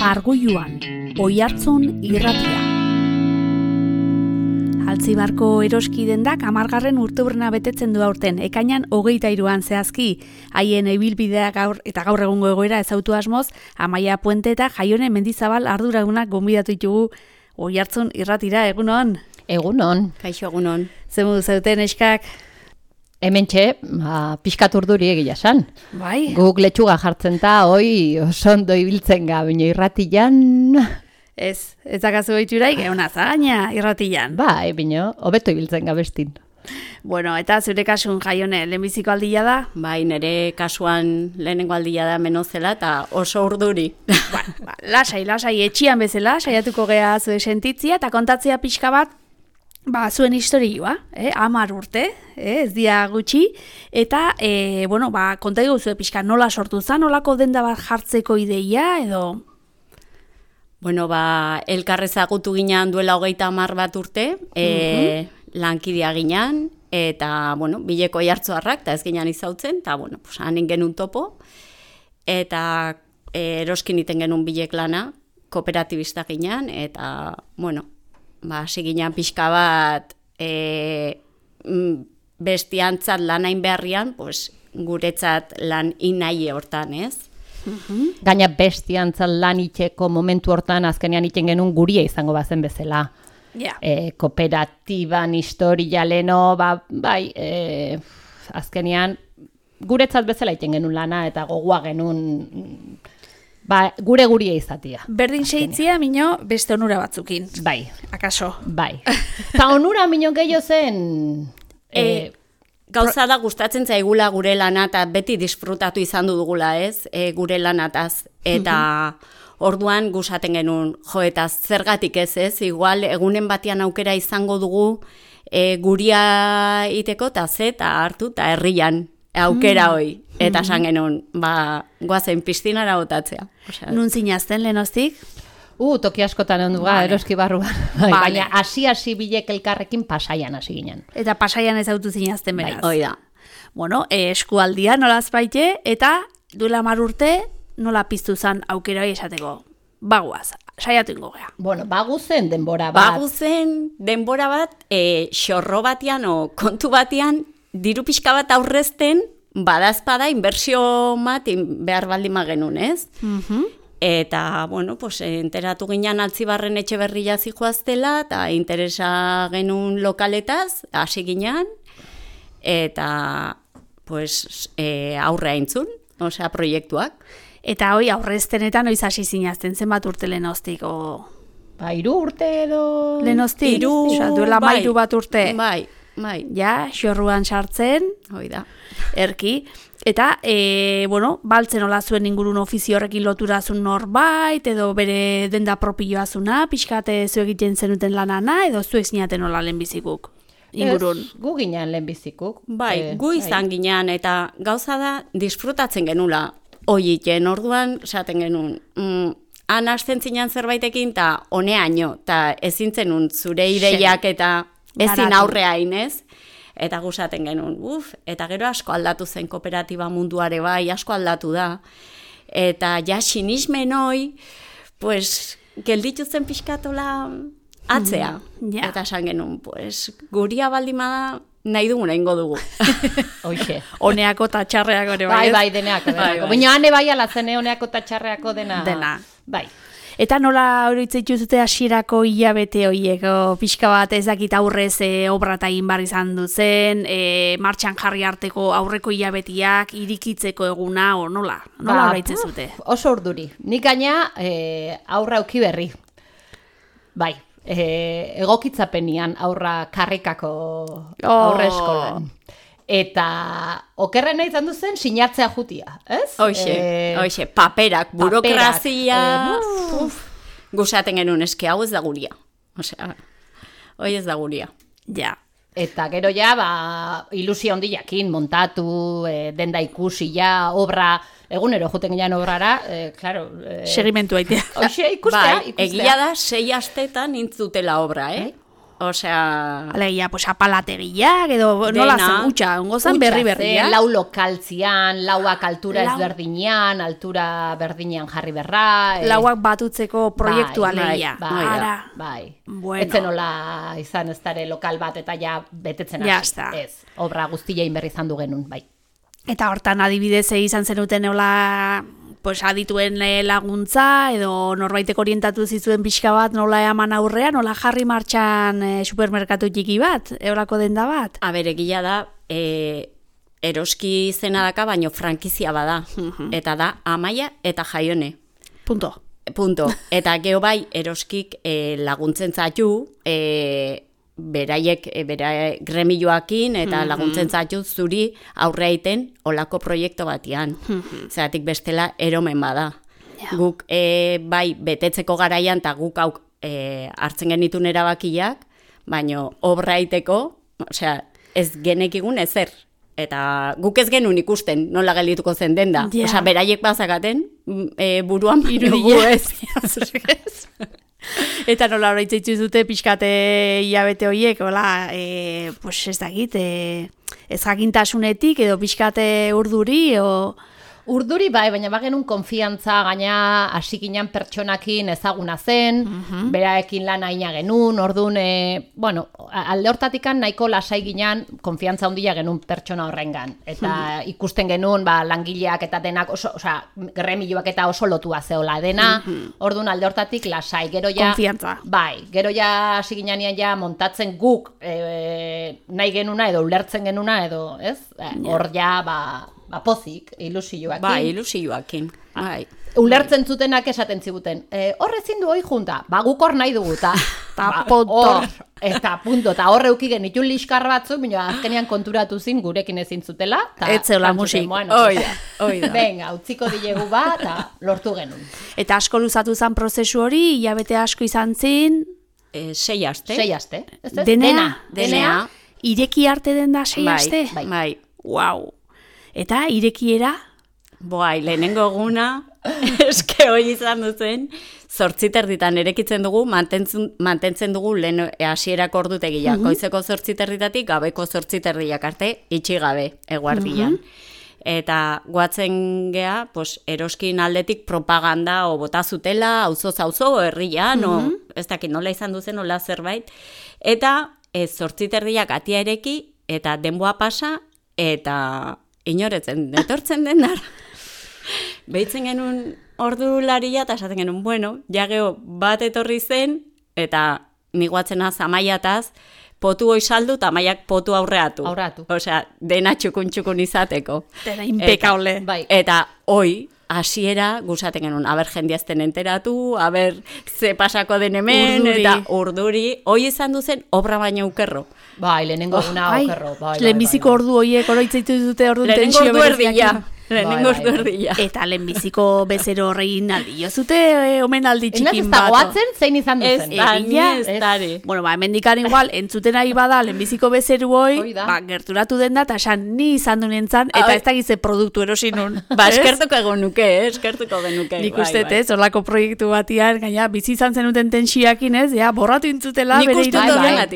Margulluan, Oihartzun irratia. Altzibarko eroski dendak 10. urteurrena betetzen du aurten, ekainan 23an zehazki. Haien ibilbidea gaur egungo egoera ezautu asmoz, Amaia Puente eta Jaione Mendizabal arduradunak gonbidatu ditugu Oihartzun irratira. Egunon? Egunon. Kaixo, egunon. Zemu zauten eskak? Hementxe, pixkat urduri egia san. Bai. Guk letxuga jartzen ta, oso ondo ibiltzen ga, baina irratian... Ez dakazu behituraik, egon azagaina irratian. Bai, baina, hobeto ibiltzen ga bestin. Bueno, eta zure kasun, Jaione, lehenbiziko aldia da? Bai, nire kasuan lehenengo aldia da menozela eta oso urduri. Lasai, etxian bezala, saiatuko gea zure sentitzia eta kontatzea pixka bat, zuen historioa, 10 urte, ez dia gutxi, eta, konta zuen pixka nola sortu zen, nolako denda bat jartzeko ideia, edo... Bueno, elkarrezagutu ginean duela 30 bat urte, lankidea ginean, eta, bileko Oihartzuarrak, eta ez ginean izautzen, eta, hanin genuen topo, eta eroskin iten genuen bilek lana, kooperatibista ginean, eta, hasi ginean pixka bat bestiantzat lanain beharrian, guretzat lan inai hortan, ez? Gaina bestiantzat lan itxeko momentu hortan azkenean iten genuen guria izango bazen bezala. Kooperatiban historia leno, azkenean guretzat bezala iten genuen lana eta gogoa genuen gure guria izatia. Berdin seitzia, mino, beste onura batzukin. Bai. Akaso. Bai. Ta onura, mino, gehiago zen... Gauza da gustatzen zaigula gure lana eta beti disfrutatu izan dugula, ez? Gure lanataz. Eta orduan gustatzen genuen, eta zergatik ez, igual egunen batean aukera izango dugu guria iteko eta hartu eta herrian aukera hoi. Eta esan genuen, goazen piztinara botatzea. Nun zinazten lehenoztik? Toki askotan ondu eroski barruan. Baina hasi bilek elkarrekin Pasaian hasi ginen. Eta Pasaian ezautu zinazten beraz. Hoi da. Eskualdia nolaz baite, eta duela 10 urte nola piztu zan aukera hori esateko. Bagoaz, saiatu ingo gea. Baguzen denbora bat. Baguzen denbora bat, xorro batean o kontu batean, diru pixka bat aurrezten, badazpada inbertsio bat behar baldin magenun, ez? Eta, enteratu ginean Altzibarren Etxeberria zijoaztela, eta interesa genuen lokaletaz, hasi ginean, eta, aurre aintzun, proiektuak. Eta hoi aurreztenetan oiz hasi zinazten, zenbat urte lehenoztik, 3 urte edo... Lehenoztik, duela 13 bat urte. Bai. Ja, xorruan sartzen. Hoi da. Erki. Eta, baltzen hola zuen ingurun ofizio horrekin loturazun norbait, edo bere denda propioa zuna, pixkate zu egiten zenuten lanana, edo zuek zinaten hola lehenbizikuk ingurun. Gu ginean lehenbizikuk. Gu izan ginean, eta gauza da, disfrutatzen genula oiiten, orduan, esaten genuen, han hasten zinean zerbaitekin, eta honeaino, eta ezin zenun zure ideiak eta ezin aurrea inez. Eta gustatzen genuen, eta gero asko aldatu zen kooperatiba munduare bai, asko aldatu da. Eta ja sinismen hoi, gelditu zen pixkatola atzea. Eta esan genuen, guria baldimada nahi duguna ingo dugu. Oixe. Honeako eta txarreako ere bai. Bai, deneako. Baina hane bai alatzen, honeako eta txarreako dena. Bai. Eta nola hori itzituzute hasierako hilabete horiek, pixka bat ezakit aurrez obrata egin bar izan duzen, martxan jarri arteko aurreko hilabetiak, irikitzeko eguna, nola hori itzizute? Oso urduri. Nik gaina aurra auki berri. Bai, egokitzapenian aurra karrikako aurre eskolan. Eta okerrena izan duzen sinatzea jutia, ez? Hoxe, paperak, burokrazia, gustatzen genuen eske, hau ez da guria. Hoi ez da guria. Ja. Eta gero ja, ilusio handiakin montatu, denda ikusi ja, obra, egunero juten ginean obrara, claro... Segimentu aitea. Hoxe, ikustea. Egia da, 6 astetan intzutela obra, Osea... Alegia, pues apalategiak, edo nola Dena. zen, utxa, ongo zen berri-berria. Lau lokaltzian, lauak altura ezberdinean, altura berdinean jarri berra. Lauak batutzeko proiektua bai, legia. bai, Ara. bai. Bueno. Etzen nola izan ez dare lokal bat eta ja betetzen Ja hasi. está. Ez, obra guztiein berri izan du genuen, bai. Eta hortan adibidez izan zenuten nola pues adituen laguntza edo norbaitek orientatu zizuen pixka bat nola eman aurrean, nola jarri martxan supermerkatu txiki bat, eolako denda bat. Egia da, eroski izena daka, baino frankizia bada. Eta da, Amaia eta Jaione. Punto. Punto. Eta geho bai, eroskik laguntzen zatu, beraiek gremioakin eta laguntzen zatu zuri aurre aiten olako proiektu batian. Zeratik bestela eromen bada. Guk bai betetzeko garaian eta guk hartzen genitun erabakiak, baino obra aiteko, osea, ez genekigun ezer. Eta guk ez genuen ikusten nola geldituko zen denda. Osea, beraiek bazakaten buruan baino gu ez. Eta nola hori itzaitzu dute pixkate hilabete horiek, hola, pues ez dakit, ez jakintasunetik edo pixkate urduri, Urduri bai, baina bagenun konfiantza gaina hasikinan pertsonakin ezaguna zen, beraekin lan aina genuen, orduan, bueno, alde hortatikan nahiko lasai ginen konfiantza handia genuen pertsona horrengan. Eta ikusten genuen langileak eta denak, osea, gremioak eta oso lotua zeola dena, orduan alde hortatik lasai. Gero ja, konfiantza. Bai, gero ja hasi ginean ja montatzen guk nahi genuna edo ulertzen genuna edo, ez? Hor ja, pozik, ilusioakin. Bai, ilusioakin. Bai. Ulertzen zutenak esaten ziguten. Hor ezin du hoi junta. Guk hor nahi dugu. Ta punto. Eta punto. Eta horre ukigen itun liskar batzuk, baina azkenean konturatu zin gurekin ezin zutela. Etzeola musik. Oida. Venga, utziko dilegu eta lortu genuen. Eta asko luzatu zen prozesu hori, hilabete asko izan zin. 6 aste. 6 aste. Denea. Ireki arte den da 6 aste? Bai. Wow. Eta irekiera? Bai, lehenengo eguna, eske hoi izan duzen, 8:30 erekitzen dugu, mantentzen dugu lehen hasierako ordutegia. Goizeko 8:30 gabeko 8:30 arte, itxi gabe, eguardian. Eta guatzen gea, pues, eroskin aldetik propaganda o bota zutela, auzo herrian, ez dakit nola izan duzen, nola zerbait. Eta 8:30 atia ereki, eta denboa pasa, eta inoretzen, etortzen den dara. Behitzen genuen ordularia, eta esaten genuen, bueno, jageo bat etorri zen, eta niguatzenaz amaiataz, potu hoi saldu, eta amaiak potu aurreatu. Osea, dena txukun izateko. Dena impekable. Eta hoi, hasiera gusaten genuen, aber jendiazten enteratu, aber ze pasako den hemen, eta urduri, hoi izan duzen, obra baina ukerro. Bai, lehenengo eguna okerro. Lehenbiziko ordu horiek oroitzaitu dute ordu tensio bereziak. Lehenengo ordu erdia. Eta lehenbiziko bezero horrein aldi. Jozute omenaldi txikin bat. Ez da goatzen zein izan duzen. Ez dare. Bueno, hemen dikan igual, entzuten ari bada lehenbiziko bezeru hoi, gerturatu den da, eta esan ni izan du nintzen, eta ez da gize produktu erosinun. Eskertuko genuke, eskertuko genuke. Nik uste, ez, horlako proiektu batian, gaina, bizi izan zenuten tensioakin, ez, borratu intzutela, bere irudia.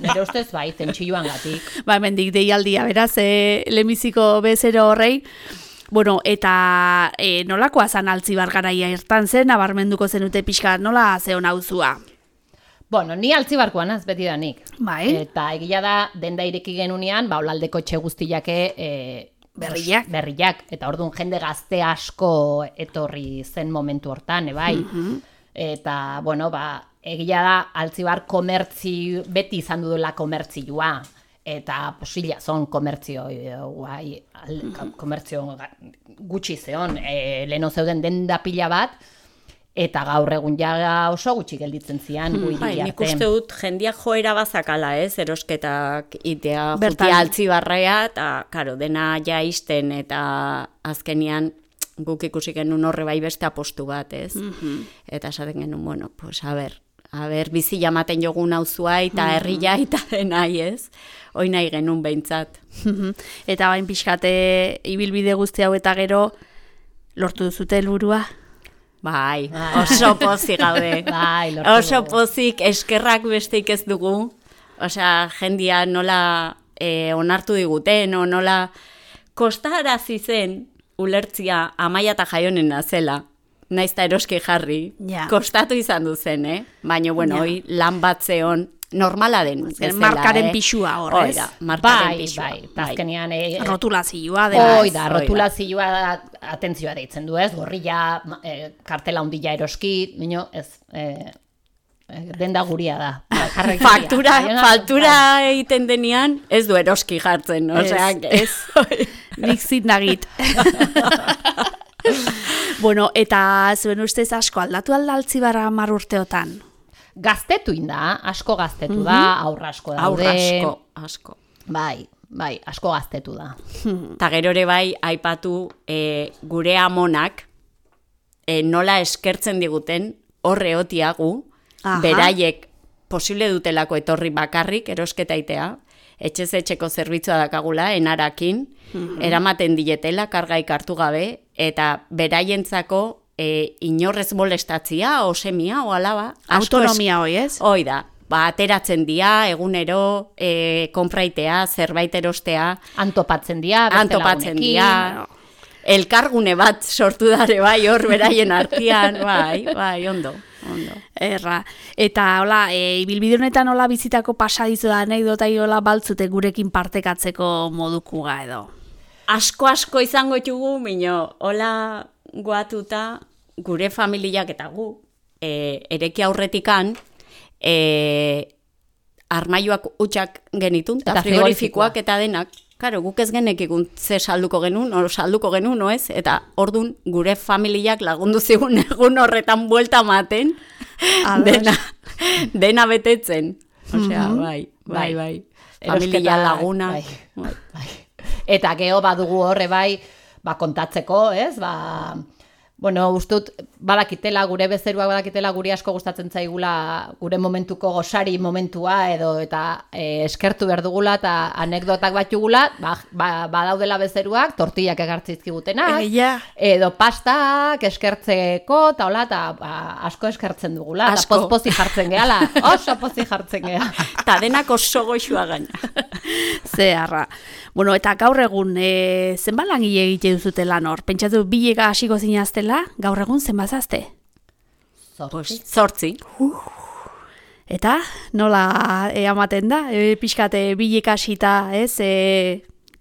Nire ustez bai, tentsioan gatik. Hemen dik deialdia, beraz, lehenbiziko bezero horrei, bueno, eta nolakoa zan Altzibar garaia irtan zen, nabarmenduko zenute pixka, nola zeon hauzua? Bueno, ni Altzibarkoan az beti da nik. Bai. Eta egia da, denda ireki genunean, olaldeko etxe guztiake berriak. Eta orduan jende gazte asko etorri zen momentu hortan, bai. Eta, bueno, egia da, Altzibar beti izan dudela komertzioa. Eta posila zon komertzio gutxi zeon, leheno zeuden denda pila bat, eta gaur egun ja oso gutxi gelditzen zian gu hiri arte. Nik uste dut jendia joera bazakala, erosketak itea jutia Altzibarrea, eta karo, dena ja izten, eta azkenian guk ikusi genuen horre bai beste apostu bat, ez? Eta esaten genuen, bueno, pues a ber, bizi jamaten jogun auzua eta herria eta denai, ez? Hoi nahi genuen behintzat. Eta bain pixkate ibilbide guzti hau eta gero lortu duzute helburua? Bai, oso pozik gaude. Bai, lortu Oso dugu. pozik, eskerrak besteik ez dugu. Osea, jendia nola onartu diguten, o nola kostarazi zen ulertzia Amaia eta Jaionena zela. Naiz eta eroski jarri, Ja. kostatu izan du zen, Baina, bueno, Ja. hoi lan bat zeon normala den bezala, markaren pixua hor, ez? Oida, markaren Bai, pixua. bai, azkenean Rotulazioa dela. Hoi da, rotulazioa atentzioa deitzen du, ez? Gorrilla, kartela hundila eroski, mino, ez, denda guria da. Faktura egiten denean, ez du eroski jartzen, osea, Ez, nik zindagit. Bueno, eta zuen ustez asko aldatu aldaltzi bara 10 urteotan? Gaztetu inda, asko gaztetu da, aurra asko daude. aurra asko. Bai, asko gaztetu da. Ta gero ere bai, aipatu gure amonak nola eskertzen diguten horre otiagu, Aha. beraiek posible dutelako etorri bakarrik, erosketaitea, etxez etxeko zerbitzua dakagula, enarakin, eramaten dietela, kargaik hartu gabe, eta beraientzako inorrez molestatzia, o semia, o alaba. Autonomia hoi, ez? Hoi da, ateratzen dia, egunero, konpraitea, zerbait erostea, Antopatzen dira, beste antopatzen lagunekin. dia, elkargune bat sortu dare bai, hor beraien artean, bai, ondo. Erra. Eta hola, ibilbide honetan hola bizitako pasadizo da anekdota hola baltzute gurekin partekatzeko modukuga edo. Asko izango ditugu, mino, hola guatuta gure familiak eta gu, ereki aurretikan, armaioak utxak genitun, eta frigorifikoak eta denak, karo, guk ez genekikun ze salduko genuen, o ez, eta ordun gure familiak lagundu zigun egun horretan buelta maten, dena betetzen. Osea, bai. Familia laguna. Bai. Eta geho badugu horre bai, kontatzeko, ez? Bueno, ustut, badakitela, gure bezeruak badakitela, guri asko gustatzen zaigula gure momentuko gosari momentua edo eta eskertu behar dugula eta anekdotak batugula, badaudela bezeruak, tortillak egartzizkigutenak, edo pastak eskertzeko, eta hola, eta asko eskertzen dugula, eta poz-pozi jartzen gehala, oso pozi jartzen gehala. Eta denak oso goxua gaina. Zeharra. Bueno, eta gaur egun, zenbat langile egite duzute lan hor? Pentsatu, bilega hasiko zinaztela, gaur egun zenbazazte? Zortzi. Eta nola amaten da? Pixkate bilega hasita, ez?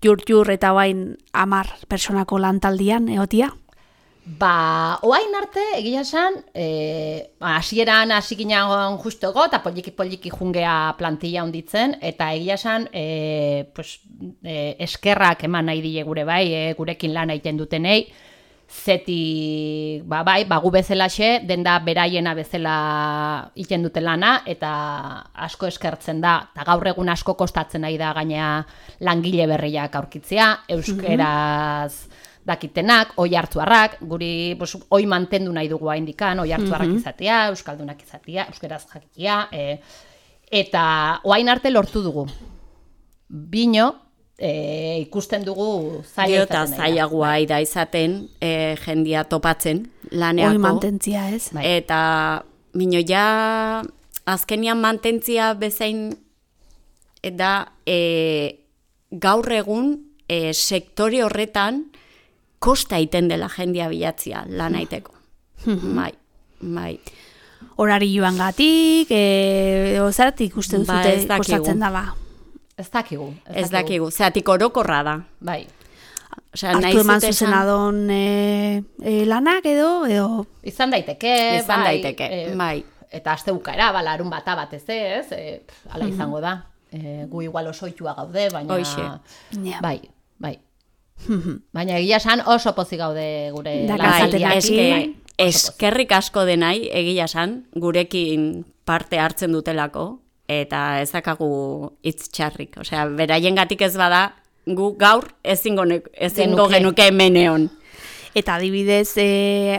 Jur eta bain 10 personako lantaldian, egotia? Oain arte, egia esan, hasieran hasi ginen justo ego, eta poliki jungea plantilla hunditzen, eta egia esan, eskerrak eman nahi dile gure bai, gurekin lan egiten dutenei, zeti, gu bezalaxe, denda beraiena bezala egiten dute lana, eta asko eskertzen da, eta gaur egun asko kostatzen nahi da gaina langile berriak aurkitzea, euskeraz dakitenak, oi hartzuarrak, guri oi mantendu nahi dugu haindikan, oi hartzuarrak izatea, euskaldunak izatea, euskeraz jakitea, eta oain arte lortu dugu. Bino, ikusten dugu zaila izaten. Eta zailagoa da izaten, jendia topatzen laneako. Oi mantentzia, ez? Eta bino ja azkenian mantentzia bezain da gaur egun sektore horretan kosta iten dela jendia bilatzia lan aiteko. Bai. Horari joan gatik, zaratik uste duzute kostatzen dala? Ez dakigu. Ez dakigu, zeatik orokorra da. Bai. Hartu eman zuzenadon lanak edo? Izan daiteke, bai. Eta aste bukaera, larun bata batez ez, ala izango da. Gu igual oso oitua gaude, baina... Bai. Baina egia esan oso pozik gaude gure lantaldiakin. Eskerrik asko denai, egia esan, gurekin parte hartzen dutelako, eta ez dakagu hitz txarrik. Osea, beraien gatik ez bada, gu gaur ezingo genuke hemeneon. Eta adibidez,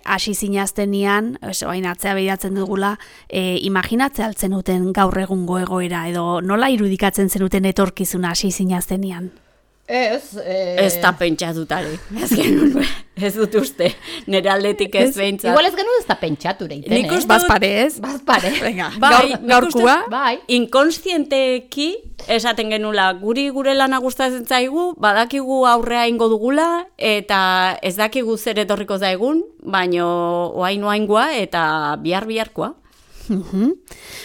hasi zinaztenian, bain atzea behiratzen dugula, imaginatzea altzen duten gaur egungo egoera, edo nola irudikatzen zenuten etorkizuna hasi zinaztenian? Ez da pentsatutare. Ez dut uste. Nere aldetik ez behintzat. Igual ez genuen ez da pentsature iten, Nik uste Bazpare ez? Bazpare. Venga, Bai, gaurkua. Bai. Inkonstienteki esaten genula gure lana gustatzen zaigu, badakigu aurrea ingo dugula eta ez dakigu zer etorriko zaigun, baino oain-oaingoa eta biharkoa.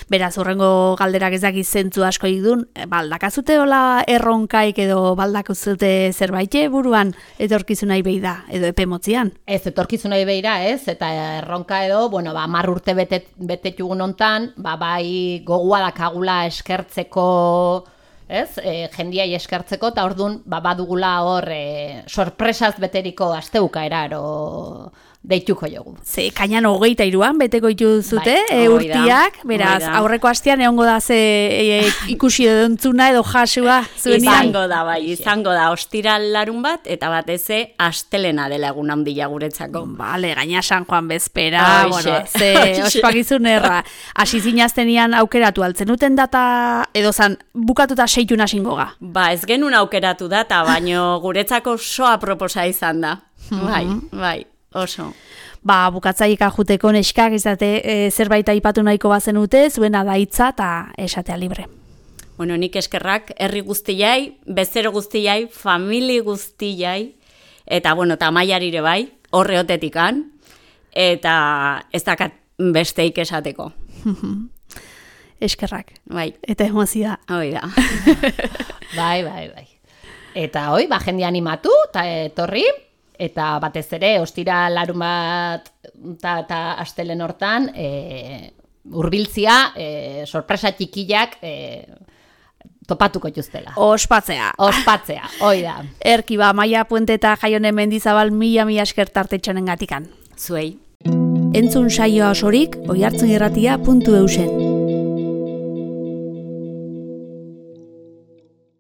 Beraz, horrengo galderak ez dakiz zentzu asko idun, baldakazute hola erronkaik edo baldakazute zerbait buruan etorkizunai behi da, edo epe motzian? Ez, etorkizunai beira, ez, eta erronka edo, 10 urte betetugun hontan, bai gogoa dakagula eskertzeko, ez, jendiai eskertzeko, eta orduan, badugula hor sorpresaz beteriko asteuka eraro deituko jogu. Ze, kainan 23an beteko dituzute, Bai, urtiak, beraz, hori da. aurreko astean egongo da ze ikusi edontzuna edo jasua zuen Izango da, izango da, ostiral larun bat, eta bateze astelena dela egun handia guretzako. Bale, gaina San Juan bezpera, Hoxe. bueno, ze ospakizun erra. Hasi zinaztenian aukeratu altzen uten data, edo zan, bukatuta 6 hasingoga. Ba, ez genuen aukeratu data, baino guretzako soa proposa izan da. Bai, oso. Ba, bukatzaika juteko neskak izate zerbait aipatu nahiko bazenute, zuena da hitza eta esatea libre. Bueno, nik eskerrak herri guztiai, bezero guztiai, famili guztiai, eta bueno, eta maiarire bai, horreotetikan, eta ez dakat besteik esateko. Eskerrak. Bai, Eta emozioa. hoi da. Bai. Eta hoi, jende animatu, eta etorri, eta batez ere, ostira larun bat eta astelen hortan, hurbiltzia, sorpresa txikiak topatuko jutuztela. Ospatzea. Ospatzea, hoi da. Erki ba, Maia Puente eta Jaione Mendizabal mila esker tartetxonen gatikan. Zuei. Entzun saioa osorik, oihartzunirratia.eusen.